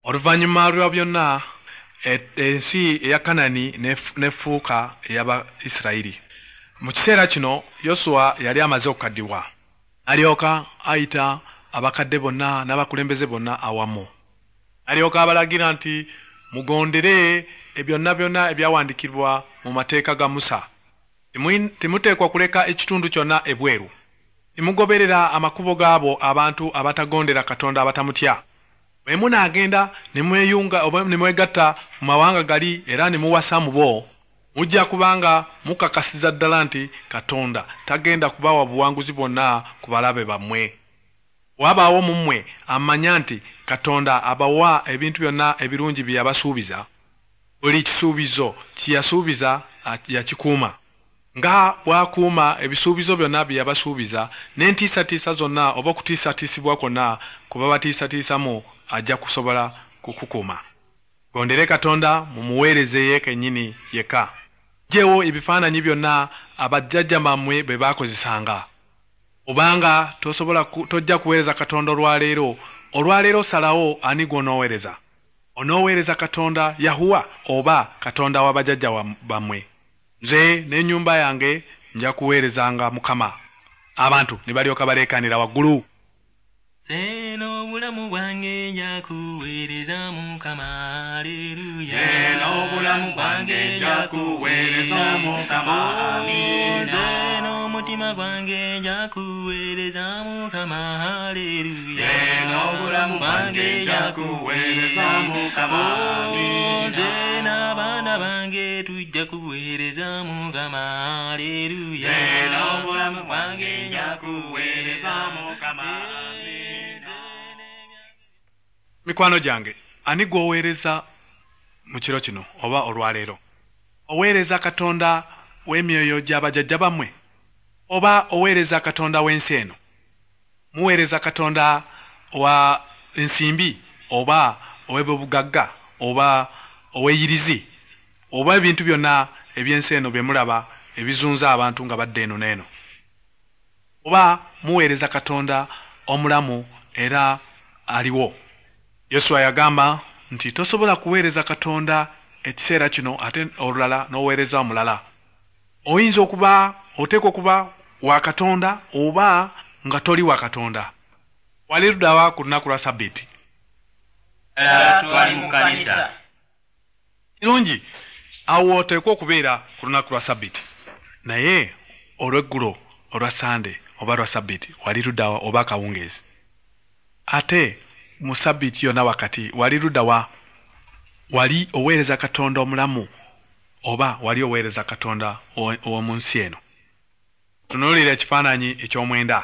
Oluvannyuma lwa byonna, ensi eya Kanani n'efuuka ey'Abayisirayiri. Mu kiseera kino Yosuwa yali amaze okukaddiwa. Alyoka ayita abakadde bonna n'abakulembeze bonna awamu. Alyoka abalagira nti, mugondere byonna byonna ebyawandiikibwa mu mateeka ga Musa. Temuteekwa kuleka ekitundu kyonna ebweru. Temugoberera amakubo gaabo abantu abatagondera Katonda abatamutya. Bwe munaagenda ne mweyunga oba ne mwegatta mu mawanga gali era ne muwasa mu bo, mujja kubanga mukakasiza ddala nti Katonda tagenda kubawa buwanguzi bwonna ku balabe bammwe. Wabaawo mu mmwe amanya nti Katonda abawa ebintu byonna ebirungi bye yabasuubiza. Buli kisuubizo kye yasuubiza yakikuuma. Nga bw'akuuma ebisuubizo byonna bye yabasuubiza, n'entiisatiisa zonna oba okutiisatiisibwa kwonna kwe babatiisatiisamu ajja kusobola kukukuuma. Gondere Katonda mumuweereze ye kennyini yekka. Ggyewo ebifaananyi byonna abajjajja bammwe bwe baakozesanga. Obanga tosobola tojja kuweereza Katonda olwaleero, olwaleero osalawo ani gw'onooweereza. Onooweereza Katonda Yahuwa oba Katonda w'abajjajja bammwe. Nze n'ennyumba yange nja kuweerezanga Mukama. Abantu ne balyoka baleekaanira waggulu. Nze n'obulamu bwange nja kuweereza Mukama, haleluya. Nze n'obulamu bwange nja kuweereza Mukama, amiina. Nze n'omutima gwange nja kuweereza Mukama, haleluya. Nze n'obulamu bwange nja kuweereza Mukama, amiina. Nze n'abaana bange tujja kuweereza Mukama, haleluya. Nze n'obulamu bwange nja kuweereza Mukama. Mikwano gyange, ani gw'oweereza mu kiro kino oba olwaleero? Oweereza Katonda w'emyoyo gy'abajjajja bammwe oba oweereza Katonda w'ensi eno? Muweereza Katonda wa nsimbi oba ow'ebyobugagga oba ow'eyirizi oba ebintu byonna eby'ensi eno bye mulaba ebizunza abantu nga badda eno n'eno? Oba muweereza Katonda omulamu era aliwo? Yosuwa yagamba nti tosobola kuweereza Katonda ekiseera kino ate olulala n'oweereza omulala. Oyinza okuba oteekwa okuba wa Katonda oba nga toli wa Katonda. Wali luddawa ku lunaku lwa Ssabbiiti? Twali mu kkanisa. Kirungi, awo oteekwa okubeera ku lunaku lwa Ssabbiiti. Naye olw'eggulo olwa Ssande oba lwa Ssabbiiti wali luddawa oba akawungeezi? Ate mu Ssabbiiti yonna wakati wali luddawa? Wali oweereza Katonda omulamu oba wali oweereza Katonda ow'omu nsi eno? Tunuulira ekifaananyi eky'omwenda.